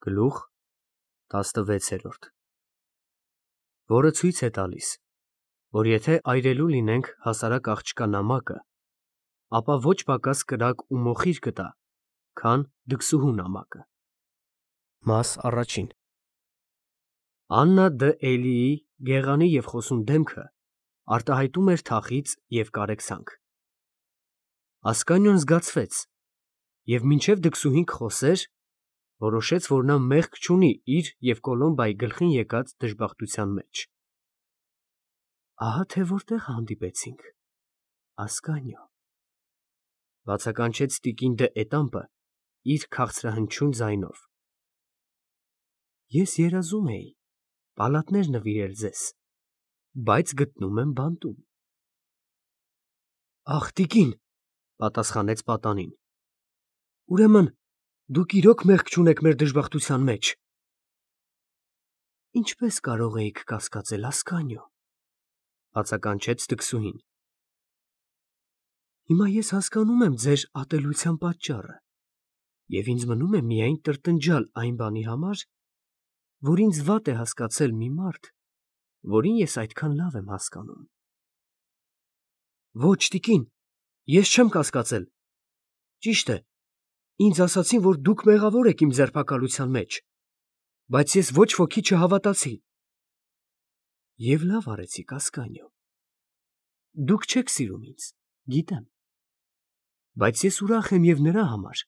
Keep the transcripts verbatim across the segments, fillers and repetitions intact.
Գլուխ տասնվեցերորդ, որը ցույց է տալիս, որ եթե այրելու լինենք հասարակ աղջկա նամակը, ապա ոչ պակաս կրակ ու մոխիր կտա, քան դքսուհու նամակը։ Մաս առաջին Աննա Դ. Էլիի գեղանի և խոսուն դեմքը արտահայտում էր թախիծ և կարեկցանք։ Ասկանիոն զգացվեց և մինչև դքսուհին կխոսեր, որոշեց, որ նա մեղք չունի իր և Կոլոմբայի գլխին եկած դժբախտության մեջ։ Ահա թե որտեղ հանդիպեցինք, Ասկանիո, բացականչեց տիկին Դ. Էտամպը իր քաղցրահնչյուն ձայնով։ Ես երազում էի պալատներ նվիրել ձեզ, բայց գտնում եմ բանտում։ Ախ, տիկին, պատասխանեց պատանին, ուրեմն դուք իրոք մեղք չունեք մեր դժբախտության մեջ։ Ինչպես կարող էիք կասկածել, Ասկանիո, բացականչեց դքսուհին։ Հիմա ես հասկանում եմ ձեր ատելության պատճառը, և ինձ մնում է միայն տրտնջալ այն բանի համար, որ ինձ վատ է հասկացել մի մարդ, որին ես այդքան լավ եմ հասկանում։ Ոչ, տիկին, ես չեմ կասկածել։ Ճիշտ է, ինձ ասացին, որ դուք մեղավոր եք իմ ձերբակալության մեջ, բայց ես ոչ ոքի չհավատացի։ Եվ լավ արեցիք, Ասկանիո։ Դուք չեք սիրում ինձ, գիտեմ, բայց ես ուրախ եմ և նրա համար,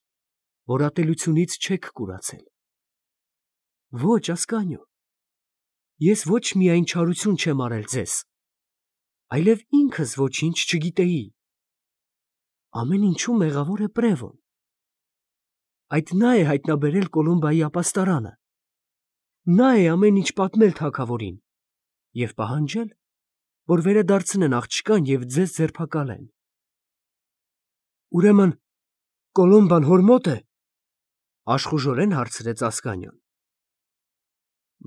որ ատելությունից չեք կուրացել։ Ոչ, Ասկանիո, ես ոչ միայն չարություն չեմ արել ձեզ, այլև ինքս ոչինչ չգիտեի։ Ամեն ինչում մեղավոր է Պրևոն։ Այդ նա է հայտնաբերել Կոլոմբայի ապաստարանը։ Նա է ամեն ինչ պատմել թագավորին և պահանջել, որ վերադարձնեն աղջկան և ձեզ ձերբակալեն։ Ուրեմն Կոլոմբան հոր մոտ է, աշխուժորեն հարցրեց Ասկանիոն։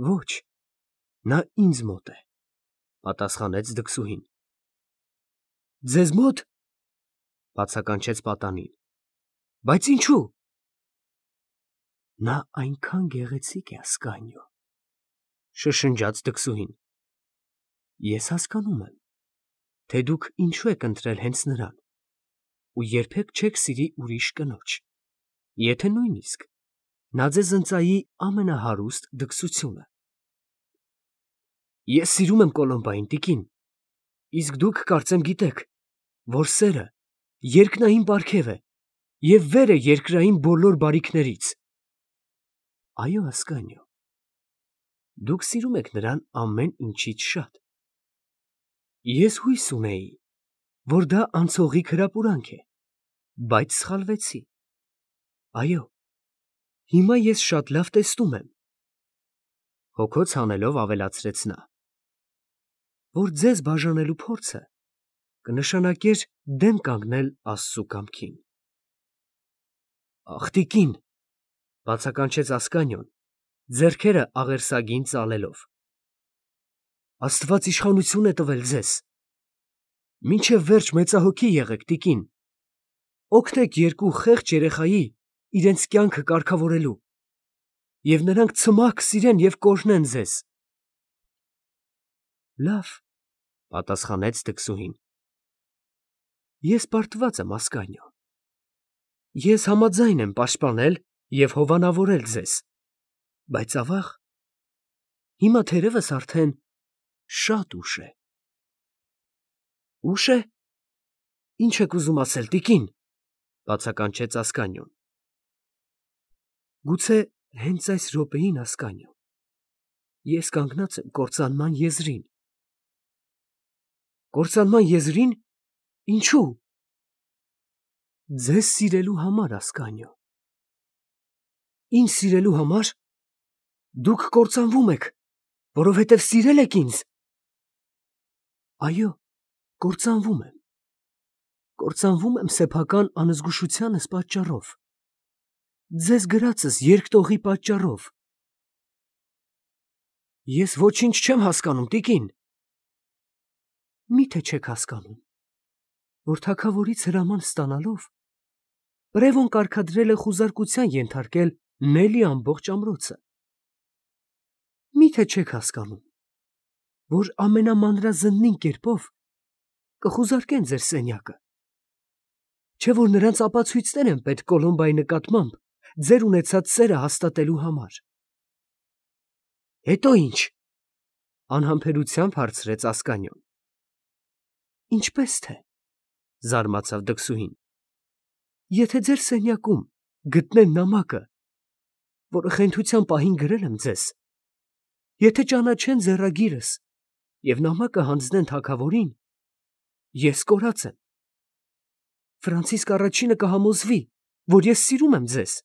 Ոչ, նա ինձ մոտ է, պատասխանեց դքսուհին։ Ձեզ մոտ, բացականչեց պատանին, բայց ինչու։ Նա այնքան գեղեցիկ է, Ասկանիո, շշնջաց դքսուհին։ Ես հասկանում եմ, թե դուք ինչու եք ընտրել հենց նրան ու երբեք չեք սիրի ուրիշ կնոջ, եթե նույնիսկ նա ձեզ ընծայի ամենահարուստ դքսությունը։ Ես սիրում եմ Կոլոմբային, տիկին, իսկ դուք կարծեմ գիտեք, որ սերը երկնային պարգև է և վեր է երկրային բոլոր բարիքներից։ Այո, Ասկանիո, դուք սիրում եք նրան ամեն ինչից շատ։ Ես հույս ունեի, որ դա անցողիկ հրապուրանք է, բայց սխալվեցի։ Այո, հիմա ես շատ լավ տեսնում եմ, հոգոց հանելով ավելացրեց նա, որ ձեզ բաժանելու փորձը կնշանակեր դեմ կանգնել Աստծու կամքին։ Ախ, տիկին, բացականչեց Ասկանիոն, ձեռքերը աղերսագին ծալելով, Աստված իշխանություն է տվել ձեզ։ Մինչև վերջ մեծահոգի եղեք, տիկին, օգնեք երկու խեղճ երեխայի իրենց կյանքը կարգավորելու, և նրանք ցմահ կսիրեն և կօրհնեն ձեզ։ Լավ, պատասխանեց դքսուհին։ Ես պարտված եմ, Ասկանիո։ Ես համաձայն եմ պաշտպանել և հովանավորել ձեզ, բայց ավաղ, հիմա թերևս արդեն շատ ուշ է։ Ուշ է։ Ինչ եք ուզում ասել, տիկին, բացականչեց Ասկանիոն։ Գուցե հենց այս րոպեին, Ասկանիո, ես կանգնած եմ կործանման եզրին։ Կործանման եզրի՞ն, ինչու։ Ձեզ սիրելու համար, Ասկանիո։ Ինձ սիրելու համար։ Դուք կործանվում եք, որովհետև սիրել եք ինձ։ Այո, կործանվում եմ։ Կործանվում եմ սեփական անզգուշությանս պատճառով, ձեզ գրածս երկտողի պատճառով։ Ես ոչինչ չեմ հասկանում, տիկին։ Մի՞թե չեք հասկանում, որ թագավորից հրաման ստանալով Պրևոն կարգադրել է խուզարկության ենթարկել Նելի ամբողջ ամրոցը։ Միթե չեք հասկանում, որ ամենամանրազննին կերպով կխուզարկեն ձեր սենյակը, չէ՞ որ նրանց ապացույցներ են պետք Կոլոմբայի նկատմամբ ձեր ունեցած սերը հաստատելու համար։ Հետո ի՞նչ, անհամբերությամբ հարցրեց Ասկանիոն։ Ինչպես թե, զարմացավ դքսուհին, եթե ձեր սենյակում գտնեն նամակը, որը խենթության պահին գրել եմ ձեզ, եթե ճանաչեն ձեռագիրս և նամակը հանձնեն թագավորին, ես կորած եմ։ Ֆրանցիսկ առաջինը կհամոզվի, որ ես սիրում եմ ձեզ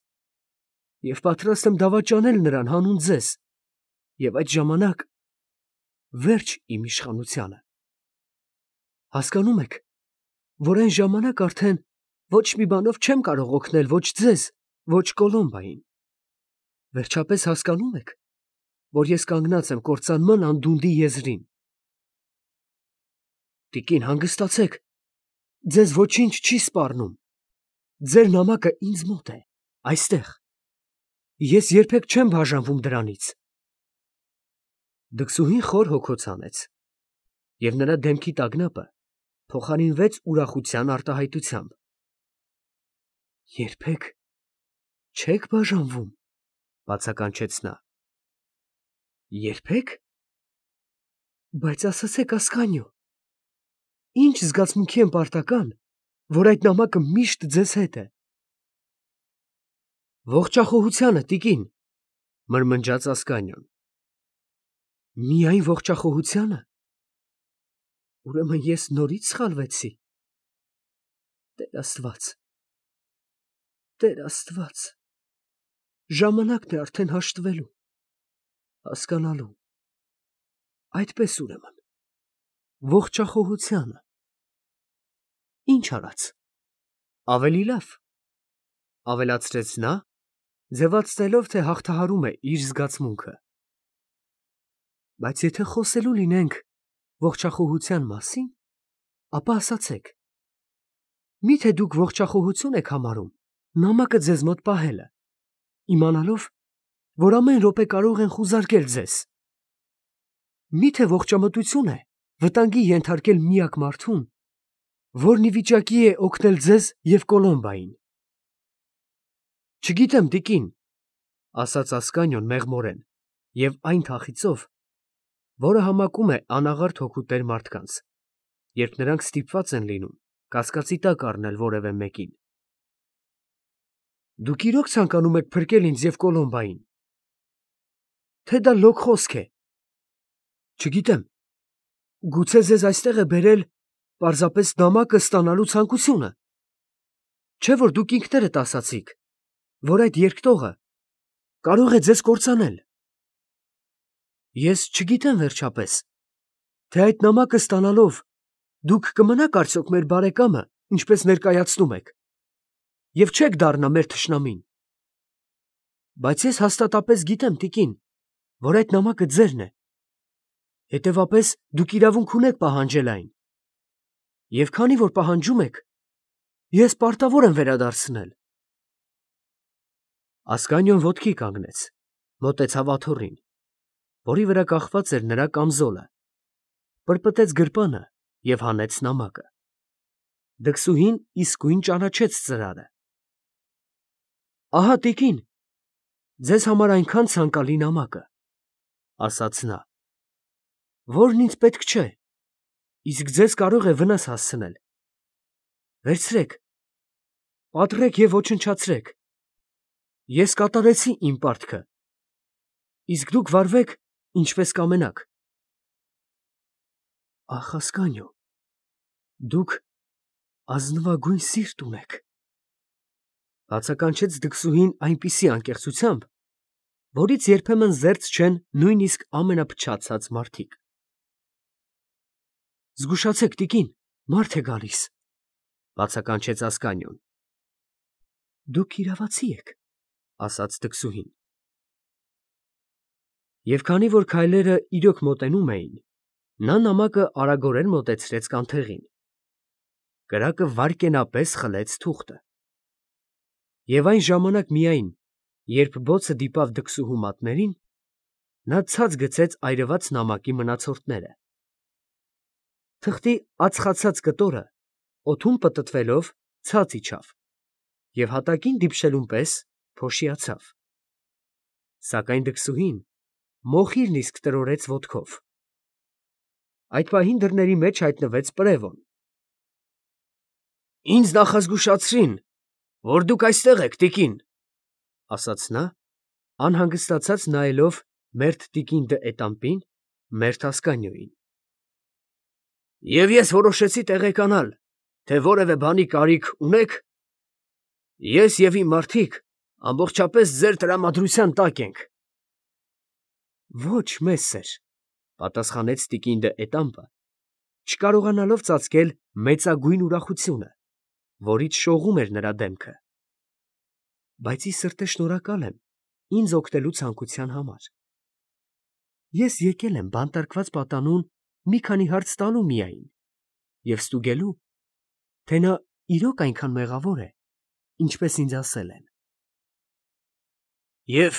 և պատրաստ եմ դավաճանել նրան հանուն ձեզ, և այդ ժամանակ վերջ իմ իշխանությանը։ Հասկանում եք, որ այն ժամանակ արդեն ոչ մի բանով չեմ կարող օգնել ոչ ձեզ, ոչ Կոլոմբային։ Վերջապես հասկանում եք, որ ես կանգնած եմ կործանման անդունդի եզրին։ Տիկին, հանգստացեք, ձեզ ոչինչ չի սպառնում։ Ձեր նամակը ինձ մոտ է, այստեղ։ Ես երբեք չեմ բաժանվում դրանից։ Դքսուհին խոր հոգոց հանեց, և նրա դեմքի տագնապը փոխարինվեց ուրախության արտահայտությամբ։ Երբեք չեք բաժանվում, բացականչեց նա։ Երբեք։ Բայց ասացեք, Ասկանիո, ինչ զգացմունքի եմ պարտական, որ այդ նամակը միշտ ձեզ հետ է։ Ողջախոհությանը, տիկին, մրմնջաց Ասկանիոն։ Միայն ողջախոհությանը։ Ուրեմն ես նորից սխալվեցի։ Տեր Աստված, Տեր Աստված, ժամանակն է արդեն հաշտվելու, հասկանալու։ Այդպես ուրեմն, ողջախոհությանը։ Ինչ արած։ Ավելի լավ, ավելացրեց նա, ձևացնելով, թե հաղթահարում է իր զգացմունքը։ Բայց եթե խոսելու լինենք ողջախոհության մասին, ապա ասացեք, միթե դուք ողջախոհություն եք համարում նամակը ձեզ մոտ պահելը, իմանալով, որ ամեն րոպե կարող են խուզարկել ձեզ։ Միթե ողջամտություն է վտանգի ենթարկել միակ մարդուն, որն ի վիճակի է օգնել ձեզ և Կոլոմբային։ Չգիտեմ, տիկին, ասաց Ասկանիոն մեղմորեն և այն թախիծով, որը համակում է անաղարտ հոգու տեր մարդկանց, երբ նրանք ստիպված են լինում կասկածի տակ առնել որևէ մեկին։ Դուք իրոք ցանկանում եք փրկել ինձ և Կոլոմբային, թե դա լոկ խոսք է։ Չգիտեմ, գուցե ձեզ այստեղ է բերել պարզապես նամակը ստանալու ցանկությունը, չէ՞ որ դուք ինքներդ ասացիք, որ այդ երկտողը կարող է ձեզ կործանել։ Ես չգիտեմ վերջապես, թե այդ նամակը ստանալով դուք կմնաք արդյոք մեր բարեկամը, ինչպես ներկայացնում եք, և չեք դառնա մեր թշնամին։ Բայց ես հաստատապես գիտեմ, տիկին, որ այդ նամակը ձերն է, հետևապես դուք իրավունք ունեք պահանջել այն։ Եվ քանի որ պահանջում եք, ես պարտավոր եմ վերադարձնել։ Ասկանիոն ոտքի կանգնեց, մոտեցավ աթոռին, որի վրա կախված էր նրա կամզոլը, պրպտեց գրպանը և հանեց նամակը։ Դքսուհին իսկույն ճանաչեց ծրարը։ Ահա, տիկին, ձեզ համար այնքան ցանկալի նամակը, ասաց նա, որն ինձ պետք չէ, իսկ ձեզ կարող է վնաս հասցնել։ Վերցրեք, պատռեք և ոչնչացրեք։ Ես կատարեցի իմ պարտքը, իսկ դուք վարվեք, ինչպես կամենաք։ Ախ, Ասկանիո, դուք ազնվագույն սիրտ ունեք, բացականչեց դքսուհին այնպիսի անկեղծությամբ, որից երբեմն զերծ չեն նույնիսկ ամենափչացած մարդիկ։ Զգուշացեք, տիկին, մարդ է գալիս, բացականչեց Ասկանիոն։ Դուք իրավացի եք, ասաց դքսուհին։ Եվ քանի որ քայլերը իրոք մոտենում էին, նա նամակը արագորեն մոտեցրեց կանթեղին։ Կրակը վայրկենապես խլեց թուղթը։ Եվ այն ժամանակ միայն, Երբ բոցը դիպավ դքսուհու մատներին, նա ցած գցեց այրված նամակի մնացորդները։ Թղթի ածխացած կտորը օդում պտտվելով ցած իջավ և հատակին դիպչելուն պես փոշիացավ։ Սակայն դքսուհին մոխիրն իսկ տրորեց ոտքով։ Այդ պահին դռների մեջ հայտնվեց Պրևոն։ ֊ Ինձ նախազգուշացրին, որ դուք այստեղ եք, տիկին, ֊ ասաց նա, անհանգստացած նայելով մերթ տիկին դը Էտամպին, մերթ Ասկանիոյին։ ֊ Եվ ես որոշեցի տեղեկանալ, թե որևէ բանի կարիք ունեք. ես և իմ մարդիկ ամբողջապես ձեր տրամադրության տակ ենք։ ֊ Ոչ, մեսեր, ֊ պատասխանեց տիկին դը Էտամպը, չկարողանալով ծածկել մեծագույն ուրախությունը, որից շողում էր նրա դեմքը։ ֊ Բայց ի սրտե շնորհակալ եմ ինձ օգնելու ցանկության համար։ Ես եկել եմ բանտարկված պատանուն մի քանի հարց տալու միայն և ստուգելու, թե նա իրոք այնքան մեղավոր է, ինչպես ինձ ասել են։ ֊ Եվ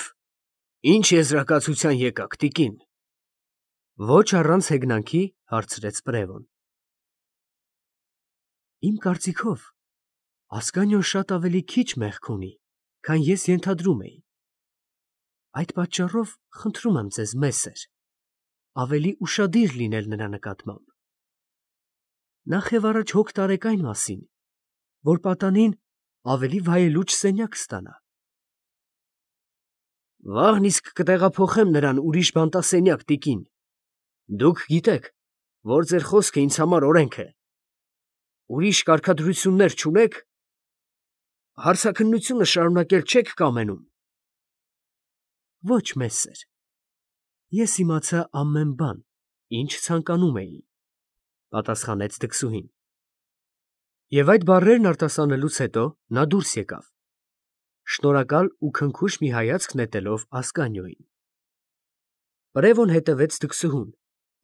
ի՞նչ եզրակացության եկաք, տիկին, ֊ ոչ առանց հեգնանքի հարցրեց Պրևոն։ ֊ Իմ կարծիքով Ասկանիոն շատ ավելի քիչ մեղք ունի, քան ես ենթադրում էի։ Այդ պատճառով խնդրում եմ ձեզ, մեսեր, ավելի ուշադիր լինել նրա նկատմամբ։ Նախևառաջ հոգ տարեք այն մասին, որ պատանին ավելի վայելուչ սենյակ ստանա։ ֊ Վաղն իսկ կտեղափոխեմ նրան ուրիշ բանտասենյակ, տիկին. դուք գիտեք, որ ձեր խոսքը ինձ համար օրենք է։ Ուրիշ կարգադրություններ չունե՞ք. հարցաքննությունը շարունակել չե՞ք կամենում։ ֊ Ոչ, մեսեր, ես իմացա ամեն բան, ինչ ցանկանում էի, ֊ պատասխանեց դքսուհին։ Եվ այդ բառերն արտասանելուց հետո նա դուրս եկավ, շնորհակալ ու քնքուշ մի հայացք նետելով Ասկանիոյին։ Պրևոն հետևեց դքսուհուն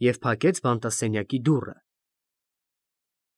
և փակեց բանտասենյակի դուռը։